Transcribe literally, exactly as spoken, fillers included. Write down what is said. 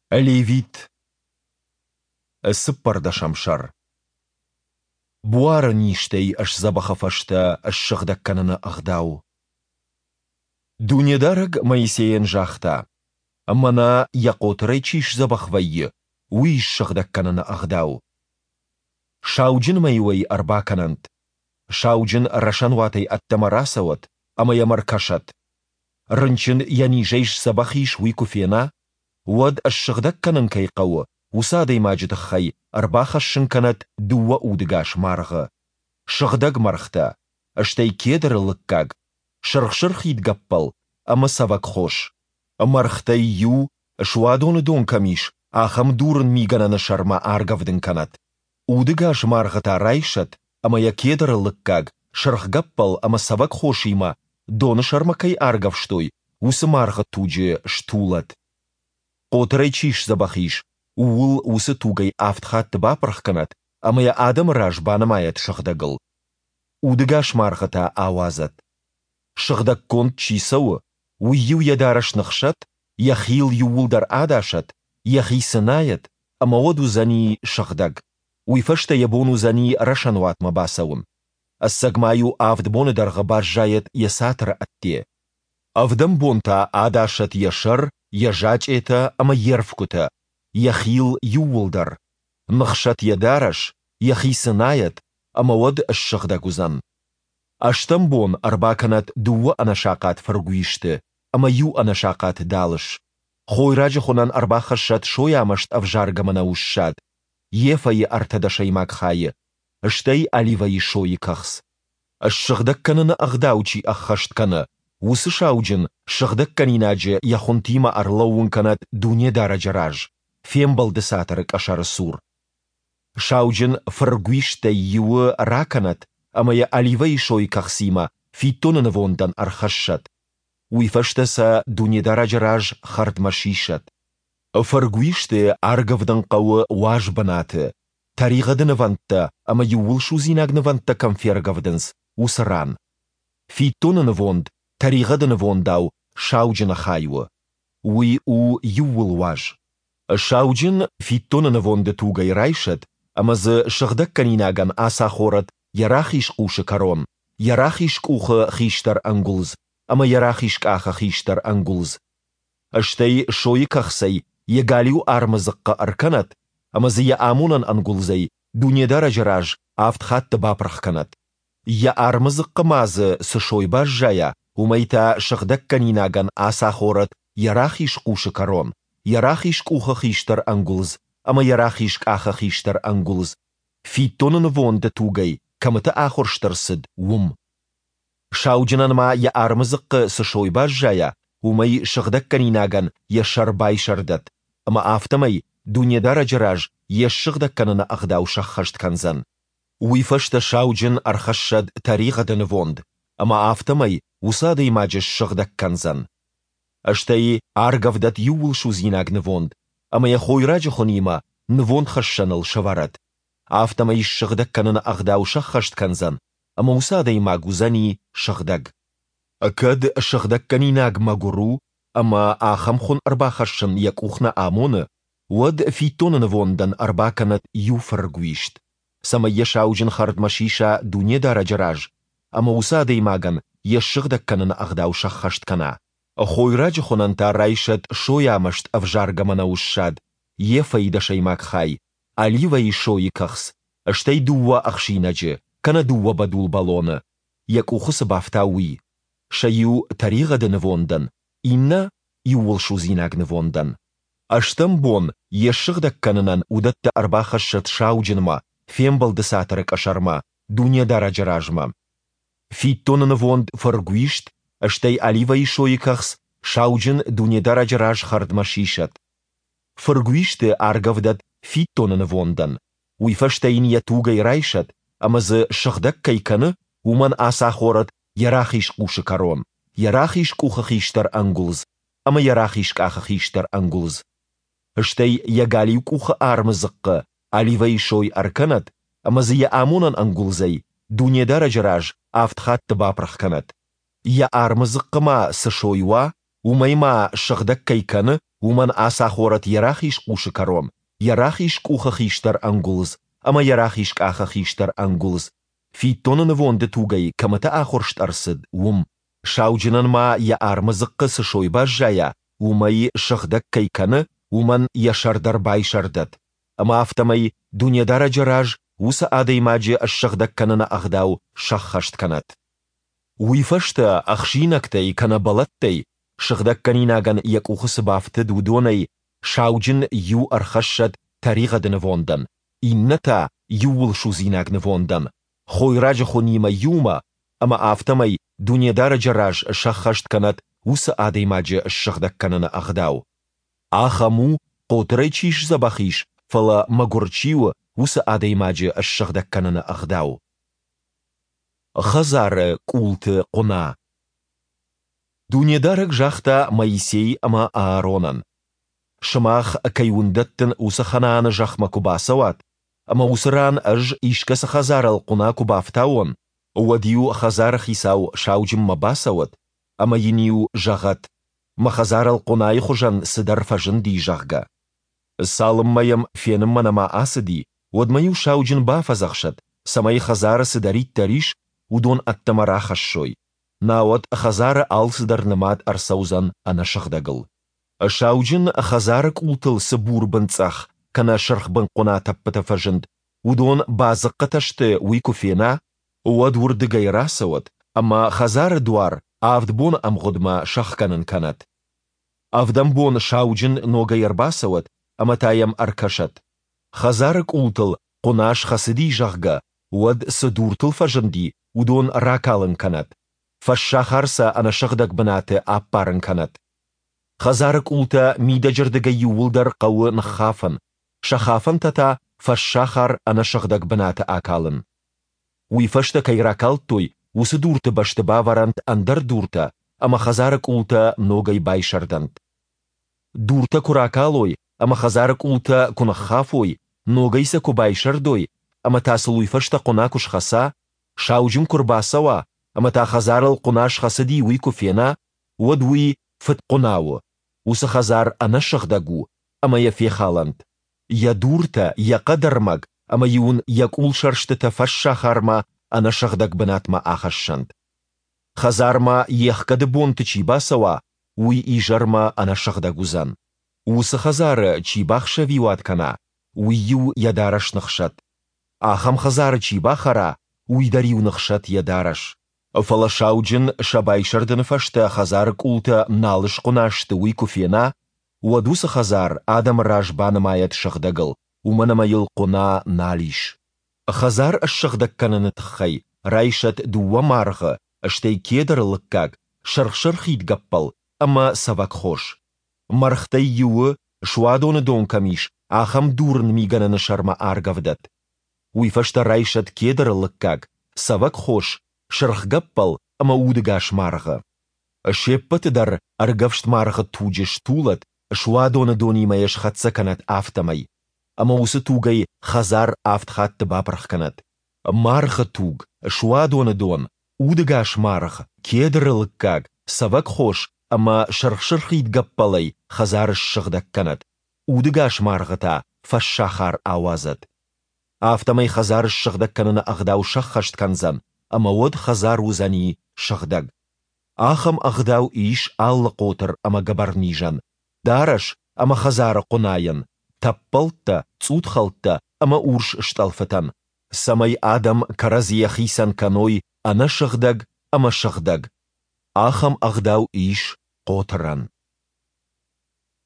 Левит. Цыппӕрдӕсӕм сӕр. Буары низтӕй сдзӕбӕхы фӕстӕ ссыгъдӕг кӕныны ӕгъдау. Дунедарӕг Моисейӕн загъта: Мӕнӕ, йӕ хъотырӕй чи сдзӕбӕх вӕййы, уый ссыгъдӕг кӕныны ӕгъдау. Сауджынмӕ-иу ӕй ӕрбакӕнӕнт. Сауджын рӕсӕнуатӕй ӕддӕмӕ рацӕуӕд ӕмӕ йӕм ӕркӕсӕд. Рынчын йӕ низӕй сдзӕбӕх ис, уый куы фена, уӕд, ссыгъдӕг кӕнын кӕй хъӕуы, уыцы адӕймаджы тыххӕй ӕрбахӕссын кӕнӕд дыууӕ удыгас маргъы, сыгъдӕг мӕргътӕ, стӕй кедры лыггаг, сырх-сырхид гӕппӕл ӕмӕ цӕвӕгхос. Мӕргътӕй иу, суадоны дон кӕм ис, ахӕм дурын мигӕнӕны сӕрмӕ аргӕвдын кӕнӕд. Удыгас маргъы та райсӕд ӕмӕ йӕ кедры лыггаг, сырх гӕппӕл ӕмӕ цӕвӕгхосимӕ, доны сӕрмӕ кӕй аргӕвстой, уыцы маргъы туджы стулӕд. Хъотырӕй чи сдзӕбӕх ис, ууыл уыцы тугӕй авд хатты бапырх кӕнӕд ӕмӕ йӕ адӕмы раз банымайӕд сыгъдӕгыл. Удыгас маргъы та ауадзӕд. Сыгъдӕггонд чи цӕуы, уый-иу йӕ дарӕс ныхсӕд, йӕ хил иууылдӕр адасӕд, йӕхи цынайӕд, ӕмӕ уӕд уыдзӕни сыгъдӕг. Уый фӕстӕ йӕ бон уыдзӕни рӕсӕнуатмӕ бацӕуын. Ӕцӕг ма-иу авд боны дӕргъы баззайӕд йӕ цатыры ӕдде. Ӕвдӕм бон та адасӕд йӕ сӕр, йӕ зачъетӕ ӕмӕ йе рфгуытӕ, йӕ хил иууылдӕр. Ныхсӕд йӕ дарӕс, йӕхи цынайӕд, ӕмӕ уӕд ссыгъдӕг уыдзӕн. Ӕстӕм бон ӕрбакӕнӕд дыууӕ ӕнӕсахъат фыргуисты ӕмӕ иу ӕнӕсахъат далыс. Хойраджы хуынӕн ӕрбахӕссӕд сойамӕст ӕвзаргӕ мӕнӕуы ссад, ефӕйы ӕртӕ дӕсӕймаг хайы, стӕй оливӕйы сойы кӕхц. Ссыгъдӕг кӕныны ӕгъдау чи ӕххӕст кӕны, уыцы сауджын сыгъдӕггӕнинаджы йӕ хуынтимӕ ӕрлӕууын кӕнӕд Дунедарӕджы раз, Фембӕлды Цатыры къӕсӕры цур. Сауджын фыргуисттӕй иуы ракӕнӕд ӕмӕ йӕ оливӕйы сойы кӕхцимӕ фиддоны нывондӕн ӕрхӕссӕд. Уый фӕстӕ сӕ Дунедарӕджы раз хӕрдмӕ сисӕд. Фыргуисты аргӕвдын хъӕуы уаз бынаты, тӕригъӕды нывӕндтӕ ӕмӕ иууылсудзинаг нывӕндтӕ кӕм фергӕвдынц, уыцы ран. Фиддоны нывонд тӕригъӕды нывондау сауджыны хай у. Уый у иууылуаз. Сауджын фиддоны нывонды тугӕй райсӕд ӕмӕ дзы сыгъдӕггӕнинагӕн ацахорӕд йӕ рахиз хъусы кӕрон, йӕ рахиз къухы хистӕр ӕнгуылдз ӕмӕ йӕ рахиз къахы хистӕр ӕнгуылдз. Стӕй сойы кӕхцӕй йӕ галиу армы дзыхъхъы ӕркӕнӕд ӕмӕ дзы йӕ амонӕн ӕнгуылдзӕй Дунедарӕджы раз авд хатты бапырх кӕнӕд. Йӕ армы дзыхъхъы ма дзы цы сой баззайа, уымӕй та сыгъдӕггӕнинагӕн ацахорӕд йӕ рахиз хъусы кӕрон, йӕ рахиз къухы хистӕр ӕнгуылдз ӕмӕ йӕ рахиз къахы хистӕр ӕнгуылдз, фиддоны нывонды тугӕй кӕмыты ахуырст ӕрцыд, уым. Сауджынӕн ма йӕ армы дзыхъхъы цы сой баззайа, уымӕй сыгъдӕггӕнинагӕн йӕ сӕр байсӕрдӕд, ӕмӕ афтӕмӕй Дунедарӕджы раз йе ссыгъдӕг кӕныны ӕгъдау сӕххӕст кӕндзӕн. Уый фӕстӕ сауджын ӕрхӕссӕд тӕригъӕды нывонд, ӕмӕ афтӕмӕй уыцы адӕймаджы ссыгъдӕг кӕндзӕн. Стӕй аргӕвдӕд иууылсудзинаг нывонд ӕмӕ йӕ хойраджы хуынимӕ нывондхӕссӕныл сӕвӕрӕд. Афтӕмӕй ссыгъдӕг кӕныны ӕгъдау сӕххӕст кӕндзӕн, ӕмӕ уыцы адӕймаг уыдзӕни сыгъдӕг. Кӕд сыгъдӕггӕнинаг мӕгуыр у ӕмӕ ахӕм хуын ӕрбахӕссын йӕ къух нӕ амоны, уӕд фиддоны нывондӕн ӕрбакӕнӕд иу фыргуист, цӕмӕй йӕ сауджын хӕрдмӕ сиса Дунедарӕджы раз ӕмӕ уыцы адӕймагӕн йе ссыгъдӕг кӕныны ӕгъдау сӕххӕст кӕна. Хойраджы хуынӕн та райсӕд сойамӕст ӕвзаргӕ мӕнӕуы ссад, ефӕйы дӕсӕймаг хай, оливӕйы сойы кӕхц, стӕй дыууӕ ӕхсинӕджы, кӕнӕ дыууӕ бӕдул бӕлоны, йӕ къухы цы бафта, уый, сӕ иу тӕригъӕды нывондӕн, иннӕ иууылсудзинаг нывондӕн. Ӕстӕм бон йе ссыгъдӕг кӕнынӕн уыдӕттӕ ӕрбахӕссӕд сауджынмӕ, Фембӕлды Цатыры къӕсӕрмӕ, Дунедарӕджы размӕ. Фиддоны нывонд фыргуист, стӕй оливӕйы сойы кӕхц сауджын Дунедарӕджы раз хӕрдмӕ сисӕд. Фыргуисты аргӕвдӕд фиддоны нывондӕн, уый фӕстӕ йын йӕ тугӕй райсӕд ӕмӕ дзы сыгъдӕг кӕй кӕны, уымӕн ацахорӕд йӕ рахиз хъусы кӕрон, йӕ рахиз къухы хистӕр ӕнгуылдз ӕмӕ йӕ рахиз къахы хистӕр ӕнгуылдз. Стӕй йӕ галиу къухы армы дзыхъхъы оливӕйы сой ӕркӕнӕд ӕмӕ дзы йӕ амонӕн ӕнгуылдзӕй Дунедарӕджы раз авд хатты бапырх кӕнӕд. Йӕ армы дзыхъхъы ма цы сой уа, уымӕй ма, сыгъдӕг кӕй кӕны, уымӕн ацахорӕд йӕ рахиз хъусы кӕрон, йӕ рахиз къухы хистӕр ӕнгуылдз ӕмӕ йӕ рахиз къахы хистӕр ӕнгуылдз, фиддоны нывонды тугӕй кӕмыты ахуырст ӕрцыд, уым. Сауджынӕн ма йӕ армы дзыхъхъы цы сой баззайа, уымӕй, сыгъдӕг кӕй кӕны, уымӕн йӕ сӕр дӕр байсӕрдӕд, ӕмӕ афтӕмӕй Дунедарӕджы раз уыцы адӕймаджы ссыгъдӕг кӕныны ӕгъдау сӕххӕст кӕнӕд. Уый фӕстӕ ӕхсинӕгтӕй кӕнӕ бӕлӕттӕй, сыгъдӕггӕнинагӕн йӕ къухы цы бафтыд, уыдонӕй сауджын иу ӕрхӕссӕд тӕригъӕды нывондӕн, иннӕ та иууылсудзинаг нывондӕн, хойраджы хуынимӕ иумӕ, ӕмӕ афтӕмӕй Дунедарӕджы раз сӕххӕст кӕнӕд уыцы адӕймаджы ссыгъдӕг кӕныны ӕгъдау. Ахӕм у, хъотырӕй чи сдзӕбӕх ис, фӕлӕ мӕгуыр чи у, уыцы адӕймаджы ссыгъдӕг кӕныны ӕгъдау. Хӕдзары къулты хъуына. Дунедарӕг загъта Моисей ӕмӕ Ааронӕн: Сымах, кӕй уын дӕттын, уыцы Ханааны зӕхмӕ куы бацӕуат, ӕмӕ уыцы ран Ӕз искӕцы хӕдзарыл хъуына куы бафтауон, уӕд-иу хӕдзары хицау сауджынмӕ бацӕуӕд ӕмӕ йын-иу зӕгъӕд, мӕ хӕдзарыл хъуынайы хуызӕн цыдӕр фӕзынди, зӕгъгӕ. Цалынмӕ йӕм фенынмӕ нӕма ацыди, уӕдмӕ-иу сауджын бафӕдзӕхсӕд, цӕмӕй хӕдзары цыдӕриддӕр ис, уыдон ӕддӕмӕ рахӕссой, науӕд хӕдзары алцыдӕр нымад ӕрцӕудзӕн ӕнӕсыгъдӕгыл. Сауджын хӕдзары къултыл цы бурбын цъӕх кӕнӕ сырхбын хъуына тӕппытӕ фӕзынд, уыдон бадзыхъхъытӕ сты, уый куы фена, уӕд уырдыгӕй рацӕуӕд ӕмӕ хӕдзары дуар авд боны ӕмгъуыдмӕ сӕхгӕнын кӕнӕд. Ӕвдӕм бон сауджын ногӕй ӕрбацӕуӕд ӕмӕ та йӕм ӕркӕсӕд. Хӕдзары къултыл хъуына схӕцыди, зӕгъгӕ, уӕд, цы дуртыл фӕзынди, уыдон ракалын кӕнӕд, фӕссахар сӕ ӕнӕсыгъдӕг бынаты аппарын кӕнӕд. Хӕдзары къултӕ мидӕджырдыгӕй иууылдӕр хъӕуы ныххафын, сӕ хафӕнтӕ та фӕссахар ӕнӕсыгъдӕг бынаты акалын. Уый фӕстӕ кӕй ракалдтой, уыцы дурты бӕсты бавӕрӕнт ӕндӕр дуртӕ ӕмӕ хӕдзары къултӕ ногӕй байсӕрдӕнт. Дуртӕ куы ракалой ӕмӕ хӕдзары къултӕ куы ныххафой, ногӕй сӕ куы байсӕрдой ӕмӕ та сыл уый фӕстӕ хъуына куы схӕца, сауджын куы рбацӕуа ӕмӕ та хӕдзарыл хъуына схӕцыди, уый куы фена, уӕд уый фыдхъуына у, уыцы хӕдзар ӕнӕсыгъдӕг у ӕмӕ йӕ фехалӕнт. Йӕ дуртӕ, йӕ хъӕдӕрмӕг ӕмӕ-иу ын йӕ къулсӕрстытӕ фӕссахармӕ ӕнӕсыгъдӕг бынатмӕ ахӕссӕнт. Хӕдзармӕ йе хгӕды бонты чи бацӕуа, уый изӕрмӕ ӕнӕсыгъдӕг уыдзӕн. Уыцы хӕдзары чи бахсӕвиуат кӕна, уый-иу йӕ дарӕс ныхсӕд. Ахӕм хӕдзары чи бахӕра, уый дӕр-иу ныхсӕд йӕ дарӕс. Фӕлӕ сауджын сӕ байсӕрдыны фӕстӕ хӕдзары къултӕ нал схъуына сты, уый куы фена, уӕд уыцы хӕдзар адӕмы раз банымайӕд сыгъдӕгыл, уымӕн ӕмӕ йыл хъуына нал ис. Хӕдзар ссыгъдӕг кӕныны тыххӕй райсӕд дыууӕ маргъы, стӕй кедры лыггаг, сырх-сырхид гӕппӕл ӕмӕ цӕвӕгхос. Мӕргътӕй иуы, суадоны дон кӕм ис, ахӕм дурын мигӕнӕны сӕрмӕ аргӕвдӕд. Уый фӕстӕ райсӕд кедры лыггаг, цӕвӕгхос, сырх гӕппӕл ӕмӕ удӕгас маргъы. Се ппӕты дӕр ӕргӕвст маргъы туджы стулӕд, суадоны донимӕ йӕ схӕццӕ кӕнӕд, афтӕмӕй. Ӕмӕ уыцы тугӕй хӕдзар авд хатты бапырх кӕнӕд. Маргъы туг, суадоны дон, удӕгас маргъ, кедры лыггаг, цӕвӕгхос ӕмӕ сырх-сырхид гӕппӕлӕй хӕдзар ссыгъдӕг кӕнӕд, удӕгас маргъы та фӕссахар ауадзӕд. Афтӕмӕй хӕдзар ссыгъдӕг кӕныны ӕгъдау сӕххӕст кӕндзӕн, ӕмӕ уӕд хӕдзар уыдзӕни сыгъдӕг. Ахӕм ӕгъдау ис алы хъотыр ӕмӕ гӕбӕрнизӕн, дарӕс ӕмӕ хӕдзары хъуынайӕн, тӕппӕлттӕ, цъутхӕлттӕ ӕмӕ урс стъӕлфытӕн, цӕмӕй адӕм кӕрӕдзийӕ хицӕн кӕной ӕнӕсыгъдӕг ӕмӕ сыгъдӕг. Ахӕм ӕгъдау ис хъотырӕн.